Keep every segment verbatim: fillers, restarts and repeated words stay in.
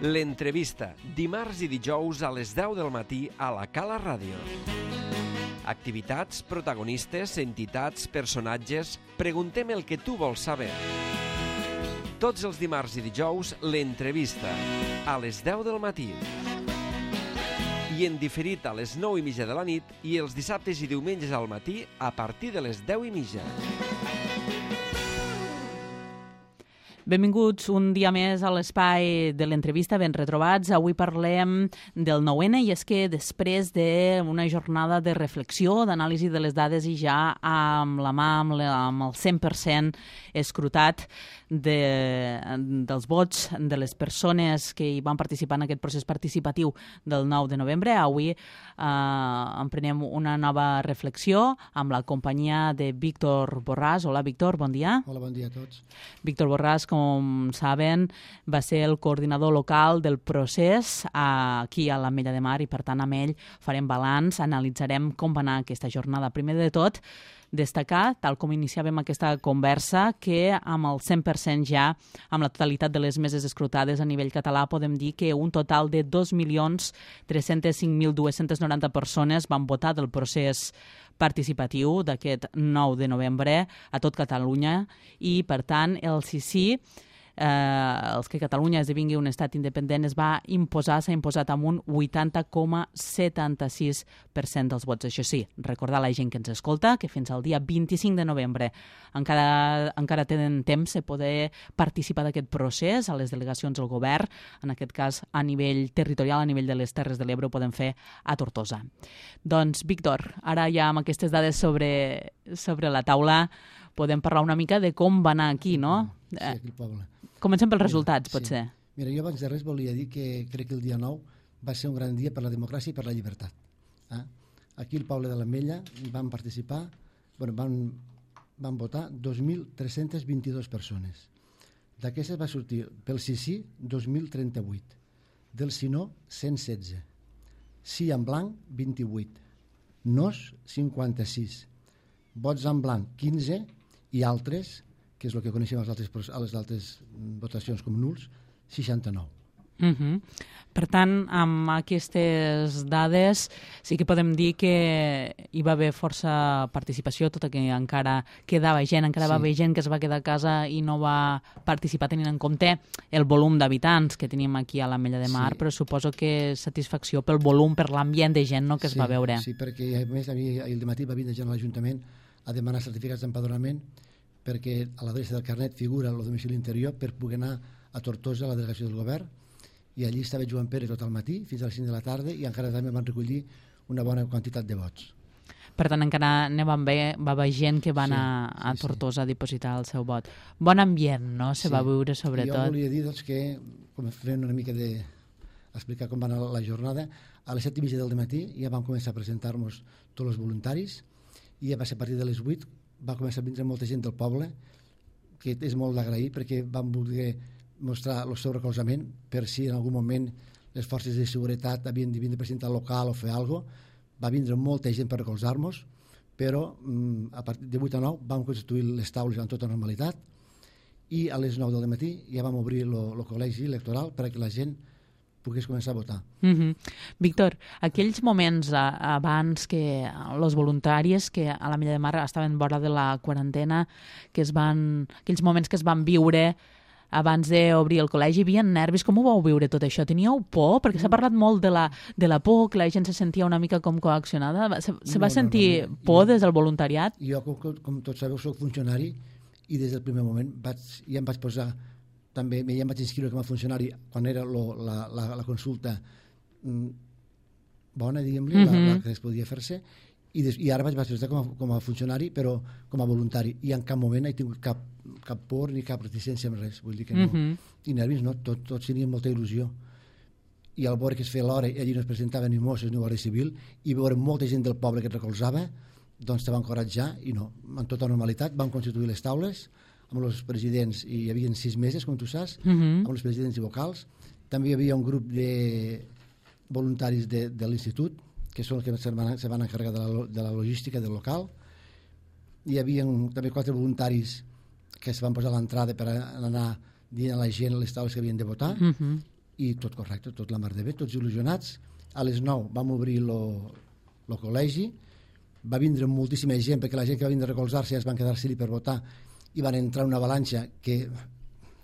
L'entrevista, dimarts i dijous a les deu del matí a la Cala Ràdio. Activitats, protagonistes, entitats, personatges... Preguntem el que tu vols saber. Tots els dimarts i dijous, l'entrevista, a les deu del matí. I en diferit a les nou i mitja de la nit i els dissabtes i diumenges al matí a partir de les deu i mitja. Benvinguts un dia més a l'espai de l'entrevista, ben retrobats. Avui parlem del nou ene i és que després d'una jornada de reflexió, d'anàlisi de les dades i ja amb la mà, amb, la, amb el cent per cent escrutat de, dels vots de les persones que hi van participar en aquest procés participatiu del nou de novembre, avui eh, emprenem una nova reflexió amb la companyia de Víctor Borràs. Hola, Víctor, bon dia. Hola, bon dia a tots. Víctor Borràs, com saben, va ser el coordinador local del procés aquí a l'Ametlla de Mar i, per tant, amb ell farem balanç, analitzarem com va anar aquesta jornada. Primer de tot, destacar, tal com iniciàvem aquesta conversa, que amb el cent per cent ja, amb la totalitat de les meses escrutades a nivell català, podem dir que un total de dos milions tres-cents cinc mil dos-cents noranta persones van votar del procés participatiu d'aquest nou de novembre a tot Catalunya i, per tant, el sí sí, eh, els que Catalunya esdevingui un estat independent, es va imposar, s'ha imposat amb un vuitanta coma setanta-sis per cent dels vots. Això sí, recordar a la gent que ens escolta que fins al dia vint-i-cinc de novembre encara, encara tenen temps de poder participar d'aquest procés a les delegacions del govern, en aquest cas a nivell territorial, a nivell de les Terres de l'Ebre, ho podem fer a Tortosa. Doncs, Víctor, ara ja amb aquestes dades sobre, sobre la taula podem parlar una mica de com va anar aquí, no? Sí, aquí al poble. Comencem pels resultats, Mira, potser. Sí. Mira, jo abans de res volia dir que crec que el dia nou va ser un gran dia per la democràcia i per la llibertat. Eh? Aquí al poble de l'Ametlla van participar, bueno, van, van votar dos mil tres-cents vint-i-dos persones. D'aquestes va sortir pel sí sí dos mil trenta-vuit, del sí no cent setze, sí en blanc vint-i-vuit, nos cinquanta-sis, vots en blanc quinze i altres, que és el que coneixem a les altres, a les altres votacions com nuls, seixanta-nou. Uh-huh. Per tant, amb aquestes dades sí que podem dir que hi va haver força participació, tot i que encara quedava gent, encara sí. va haver gent que es va quedar a casa i no va participar tenint en compte el volum d'habitants que tenim aquí a l'Ametlla de Mar, sí. però suposo que satisfacció pel volum, per l'ambient de gent, no, que sí, es va veure. Sí, perquè a més a mi ahir al matí va vindre gent a l'Ajuntament a demanar certificats d'empadronament perquè a l'adreça del carnet figura el domicili interior per poder anar a Tortosa, a la delegació del govern, i allí estava Joan Pere tot el matí fins a les cinc de la tarda i encara també van recollir una bona quantitat de vots. Per tant, encara ne van haver, va haver gent que va anar sí, sí, a Tortosa sí. a dipositar el seu vot. Bon ambient, no? Se sí. va viure sobretot. Jo volia dir doncs, que, com fent una mica de explicar com va anar la jornada, a les set i mitja del matí ja vam començar a presentar-nos tots els voluntaris i ja va ser a partir de les vuit va començar a vindre molta gent del poble, que és molt d'agrair perquè van voler mostrar el seu recolzament per si en algun moment les forces de seguretat havien de vindre a presentar al local o fer alguna cosa. Va vindre molta gent per recolzar-nos, però a partir de vuit a nou vam constituir les taules en tota normalitat i a les nou del matí ja vam obrir el col·legi electoral perquè la gent pogués començar a votar. Mm-hmm. Víctor, aquells moments a, abans que els voluntaris que a l'Ametlla de Mar estaven vora de la quarantena, que es van, aquells moments que es van viure abans d'obrir el col·legi, hi havia nervis. Com ho vau viure tot això? Teníeu por? Perquè s'ha parlat molt de la, de la por, que la gent se sentia una mica com coaccionada. Se, se no, va sentir no, no, no. por jo, des del voluntariat? Jo, com, com tots sabeu, soc funcionari i des del primer moment vaig, ja em vaig posar també, ja em vaig inscriure com a funcionari quan era lo, la, la, la consulta mm, bona, diguem-li, mm-hmm. la, la que es podia fer-se, i, des, i ara vaig presentar com a, com a funcionari, però com a voluntari, i en cap moment he tingut cap, cap por ni cap reticència amb res, vull dir que no. Mm-hmm. I nervis, no? Tot, tots tenien molta il·lusió. I al veure que es feia l'hora, allí no es presentaven ni Mossos ni Guàrdia Civil, i veure molta gent del poble que et recolzava, doncs te va encoratjar, i no, en tota normalitat vam constituir les taules, amb els presidents, i hi havia sis meses, com tu saps, mm-hmm. amb els presidents i vocals. També hi havia un grup de voluntaris de, de l'institut, que són els que se van, se van encarregar de la, de la logística del local. Hi havia un, també quatre voluntaris que es van posar a l'entrada per anar dient a la gent les taules que havien de votar. Mm-hmm. i tot correcte, tot la mar de bé, tots il·lusionats. A les nou vam obrir el col·legi, va vindre moltíssima gent, perquè la gent que va vindre a recolzar-se ja es van quedar-se-hi per votar, i van entrar una avalanxa que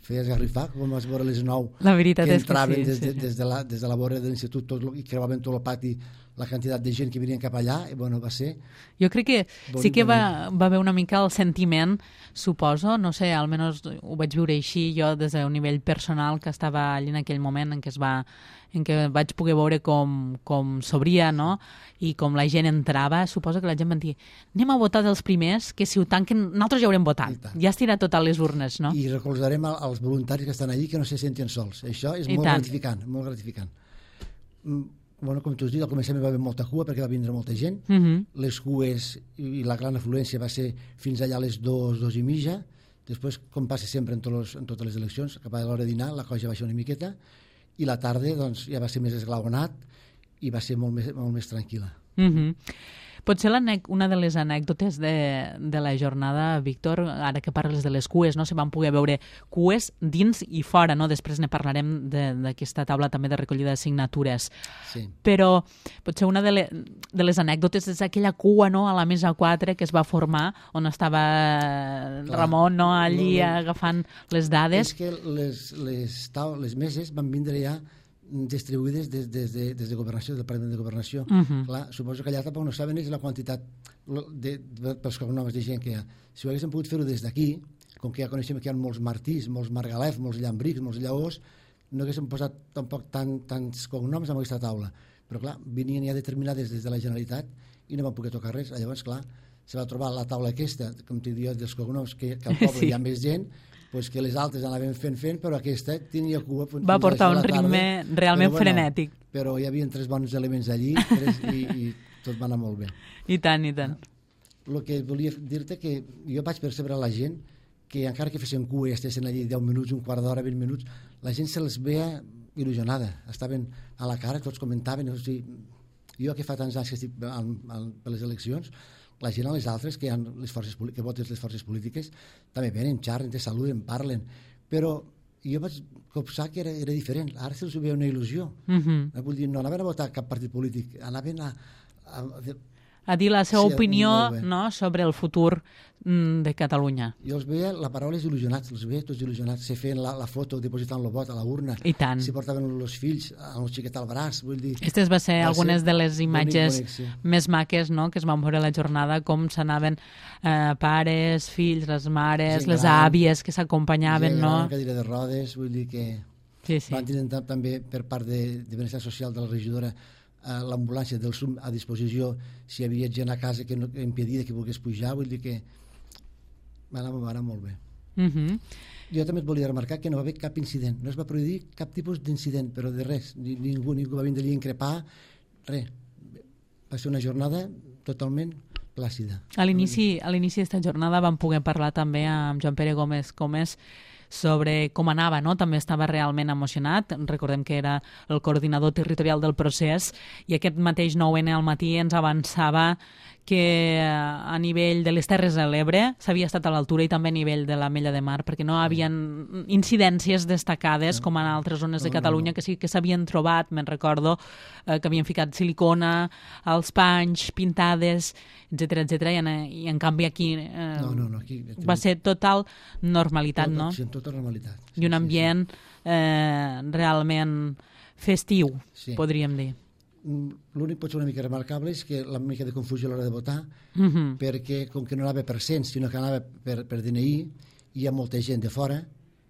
feia esgarrifar, com vas veure a les nou, la veritat que és entraven que sí, des, de, sí. des, de la, des de la vora de l'institut tot, i creuaven tot el pati, la quantitat de gent que venien cap allà, i bueno, va ser... Jo crec que sí que va, va haver una mica el sentiment, suposo, no sé, almenys ho vaig viure així jo des d'un nivell personal, que estava allà en aquell moment en què es va en què vaig poder veure com, com s'obria, no? I com la gent entrava, suposo que la gent va dir anem a votar dels primers, que si ho tanquen nosaltres ja haurem votat, ja es tira tot a les urnes, no? I recolzarem als voluntaris que estan allí que no se sentin sols, això és I molt tant. gratificant, molt gratificant. Bueno, com tu has dit, al començament va haver molta cua perquè va vindre molta gent, Uh -huh. les cues i la gran afluència va ser fins allà a les dos, dos i mitja, després, com passa sempre en, tots, en totes les eleccions, cap a l'hora de dinar la cosa va ser una miqueta, i la tarda doncs, ja va ser més esglaonat i va ser molt més, molt més tranquil·la. Uh -huh. Potser una de les anècdotes de, de la jornada, Víctor, ara que parles de les cues, no? Se van poder veure cues dins i fora, no? Després ne parlarem d'aquesta taula també de recollida de signatures. Sí. Però potser una de, le, de les anècdotes és aquella cua, no?, a la mesa quatre que es va formar, on estava Clar. Ramon, no?, allí no, no. agafant les dades. És que les, les, tau, les meses van vindre ja distribuïdes des, des, de, des de governació, del Departament de Governació. Uh -huh. Clar, suposo que allà tampoc no saben és la quantitat de, de, pels cognoms de gent que hi ha. Si ho haguéssim pogut fer-ho des d'aquí, com que ja coneixem que hi ha molts Martís, molts Margalef, molts Llambrics, molts Llaors, no haguéssim posat tampoc tan, tants cognoms en aquesta taula. Però clar, venien ja determinades des de la Generalitat i no van poder tocar res. Llavors, clar, se va trobar la taula aquesta, com t'he dit, dels cognoms, que, que al poble sí. hi ha més gent, pues que les altres anaven fent fent, però aquesta tenia cua... Va portar un ritme realment però, bueno, frenètic. Però hi havia tres bons elements allí tres, i, i tot va anar molt bé. I tant, i tant. El que volia dir-te que jo vaig percebre a la gent que encara que fessin cua i estessin allí deu minuts, un quart d'hora, vint minuts, la gent se les veia il·lusionada. Estaven a la cara, tots comentaven. O sigui, jo que fa tants anys que estic per les eleccions, la gent a les altres que, han les forces, que voten les forces polítiques també venen, xarren, te saluden, parlen, però jo vaig copsar que era, era diferent. Ara se'ls veia una il·lusió. Uh -huh. Vull dir, no anaven a votar cap partit polític, anaven a... a, a dir la seva sí, opinió, no?, sobre el futur de Catalunya. Jo els veia, la paraula és il·lusionats, els veia tots il·lusionats, se feien la, la foto depositant el vot a la urna, i tant. Se portaven els fills, el xiquet al braç, vull dir... Aquestes va ser va algunes ser de les imatges bonic, bonic, sí. més maques, no?, que es van veure a la jornada, com s'anaven eh, pares, fills, les mares, gent les gran, àvies que s'acompanyaven, no? Gent cadira de rodes, vull dir que... Sí, sí. Van tenir també per part de, de Benestar Social de la regidora l'ambulància del S U M a disposició si hi havia gent a casa que no, impedida que volgués pujar, vull dir que va anar, va anar molt bé. Uh -huh. Jo també et volia remarcar que no va haver cap incident, no es va produir cap tipus d'incident, però de res, ningú, ningú va vindre allà a increpar, res. Va ser una jornada totalment plàcida. A l'inici a l'inici d'esta jornada vam poder parlar també amb Joan Pere Gómez Gómez sobre com anava, no? També estava realment emocionat. Recordem que era el coordinador territorial del procés i aquest mateix nou ene al matí ens avançava que a nivell de les Terres de l'Ebre s'havia estat a l'altura i també a nivell de l'Ametlla de Mar, perquè no hi havia incidències destacades no. com en altres zones de Catalunya, no, no, no. que sí que s'havien trobat, me'n recordo, eh, que havien ficat silicona als panys, pintades, etcètera, etcètera, i, en, i en canvi aquí, eh, no, no, no, aquí va ser total normalitat, tot, no? Sí, tota normalitat. Sí, I un ambient sí, sí. Eh, realment festiu, sí. podríem dir. L'únic pot ser una mica remarcable és que la mica de confusió a l'hora de votar, uh -huh. perquè com que no anava per cens, sinó que anava per, per D N I, hi ha molta gent de fora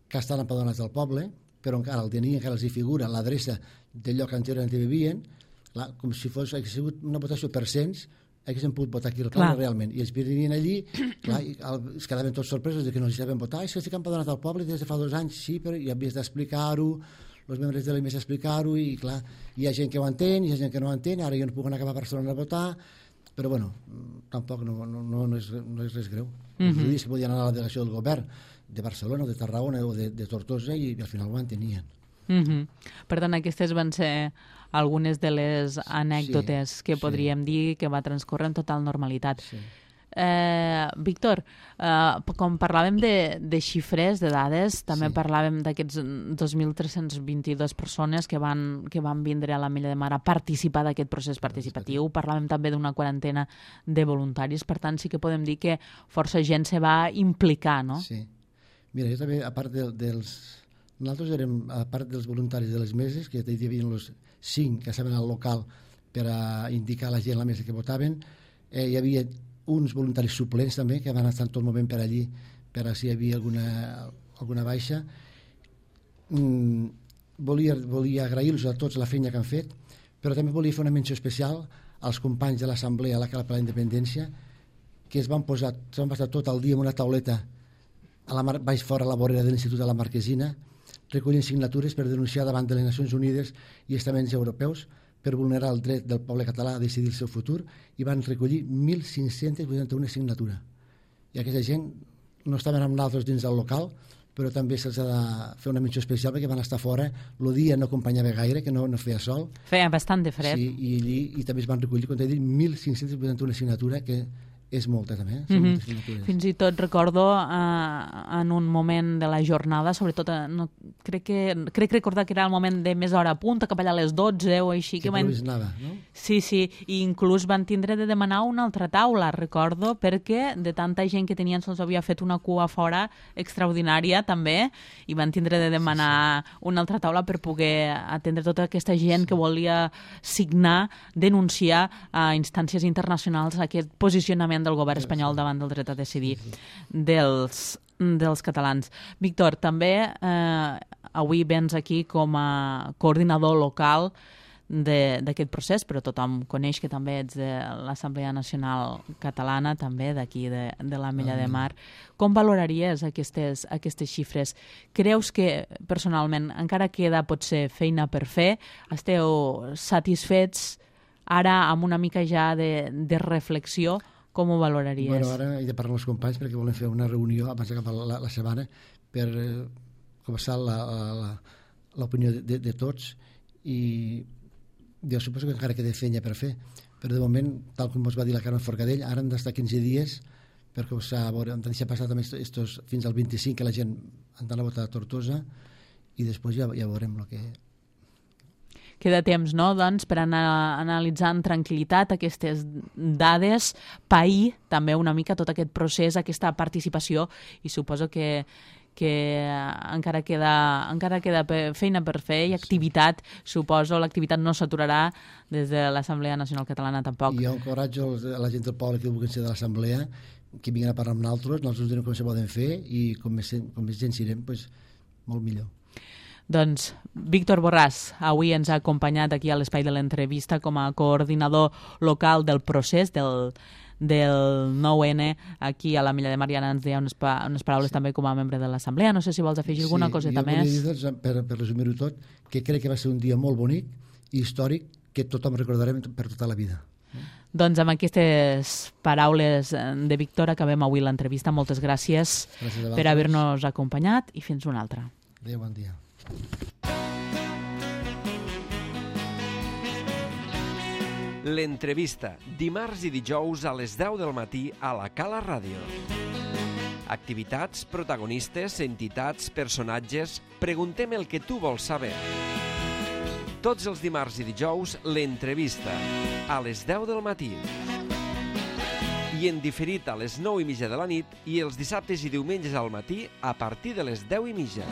que estan empadronats del poble, però encara el D N I encara els hi figura l'adreça del lloc anteriorment vivien, clar, com si fos hagués sigut una votació per cens, haguessin pogut votar aquí al poble realment, i ells venien allí, clar, i el, es quedaven tots sorpresos de que no els saben votar, és que estic empadronat al poble des de fa dos anys, sí, però hi havies d'explicar-ho, els membres de l'I M E S explicar-ho, i clar, hi ha gent que ho entén, hi ha gent que no ho entén, ara jo no puc anar cap a Barcelona a votar, però bueno, tampoc no, no, no, no, és, no és res greu. Uh -huh. Els dies que podien anar a la delegació del govern de Barcelona o de Tarragona o de, de Tortosa i, i al final ho mantenien. Uh -huh. Per tant, aquestes van ser algunes de les anècdotes sí, que podríem sí. dir que va transcorrer en total normalitat. Sí. Eh, Víctor, eh, com parlàvem de, de xifres, de dades, també Sí. parlàvem d'aquests dos mil tres-cents vint-i-dos persones que van, que van vindre a l'Ametlla de Mar a participar d'aquest procés participatiu. Parlàvem també d'una quarantena de voluntaris, per tant sí que podem dir que força gent se va implicar, no? Sí. Mira, jo també, a part de, dels... Nosaltres érem, a part dels voluntaris de les meses, que hi havia els cinc que estaven al local per a indicar a la gent la mesa que votaven, eh, hi havia uns voluntaris suplents també, que van estar tot el moment per allí, per a si hi havia alguna, alguna baixa. Mm, volia, volia agrair-los a tots la feina que han fet, però també volia fer una menció especial als companys de l'Assemblea a la Cala per la Independència, que es van posar, es van passar tot el dia en una tauleta a la mar, baix fora a la vorera de l'Institut de la Marquesina, recollint signatures per denunciar davant de les Nacions Unides i estaments europeus per vulnerar el dret del poble català a decidir el seu futur, i van recollir mil cinc-cents vuitanta-una signatures. I aquesta gent no estaven amb nosaltres dins del local, però també se'ls ha de fer una menció especial perquè van estar fora, el dia no acompanyava gaire, que no, no feia sol. Feia bastant de fred. Sí, i, allí, i també es van recollir, com t'he dit, mil cinc-cents vuitanta-una signatures, que és molta també, eh? Són Mhm. moltes signatures. Fins i tot recordo eh, en un moment de la jornada, sobretot eh, no, crec, que, crec recordar que era el moment de més hora a punta, cap allà a les dotze o així. Que Que van... improvisava, no? Sí, sí, i inclús van tindre de demanar una altra taula, recordo, perquè de tanta gent que tenien se'ls havia fet una cua fora extraordinària també, i van tindre de demanar sí, sí. una altra taula per poder atendre tota aquesta gent sí. que volia signar, denunciar a instàncies internacionals aquest posicionament del govern espanyol davant del dret a decidir sí, sí. dels dels catalans. Víctor, també eh, avui vens aquí com a coordinador local d'aquest procés, però tothom coneix que també ets de l'Assemblea Nacional Catalana, també d'aquí de, de l'Ametlla de Mar. Com valoraries aquestes, aquestes xifres? Creus que, personalment, encara queda potser feina per fer? Esteu satisfets ara amb una mica ja de, de reflexió? Com ho valoraries? Bueno, ara he de parlar amb els companys perquè volem fer una reunió abans d'acabar la, la setmana per eh, començar l'opinió de, de, de tots, i jo suposo que encara queda feina per fer, però de moment, tal com us va dir la Carme Forcadell, ara hem d'estar quinze dies per començar a veure, hem de deixar passar també estos, fins al vint-i-cinc, que la gent han d'anar a votar a Tortosa, i després ja, ja veurem el que... Queda temps, no?, doncs, per anar analitzant amb tranquil·litat aquestes dades, pair també una mica tot aquest procés, aquesta participació, i suposo que que encara queda, encara queda feina per fer i activitat, suposo, l'activitat no s'aturarà des de l'Assemblea Nacional Catalana tampoc. I jo encoratjo a la gent del poble que vulguin ser de l'Assemblea, que vinguin a parlar amb nosaltres, nosaltres direm com se poden fer, i com més, com més gent sirem, doncs, molt millor. Doncs Víctor Borràs avui ens ha acompanyat aquí a l'espai de l'entrevista com a coordinador local del procés del, del nou ene aquí a l'Ametlla de Mar. Ara ens deia unes, pa, unes paraules també com a membre de l'Assemblea. No sé si vols afegir alguna sí, coseta més. més. Sí, jo volia dir, per, per resumir-ho tot, que crec que va ser un dia molt bonic i històric que tothom recordarem per tota la vida. Doncs amb aquestes paraules de Víctor acabem avui l'entrevista. Moltes gràcies, gràcies per haver-nos acompanyat i fins una altra. Adéu, bon dia. L'entrevista, dimarts i dijous a les deu del matí a la Cala Ràdio. Activitats, protagonistes, entitats, personatges... Preguntem el que tu vols saber. Tots els dimarts i dijous, l'entrevista, a les deu del matí. I en diferit a les nou i mitja de la nit, i els dissabtes i diumenges al matí a partir de les deu i mitja.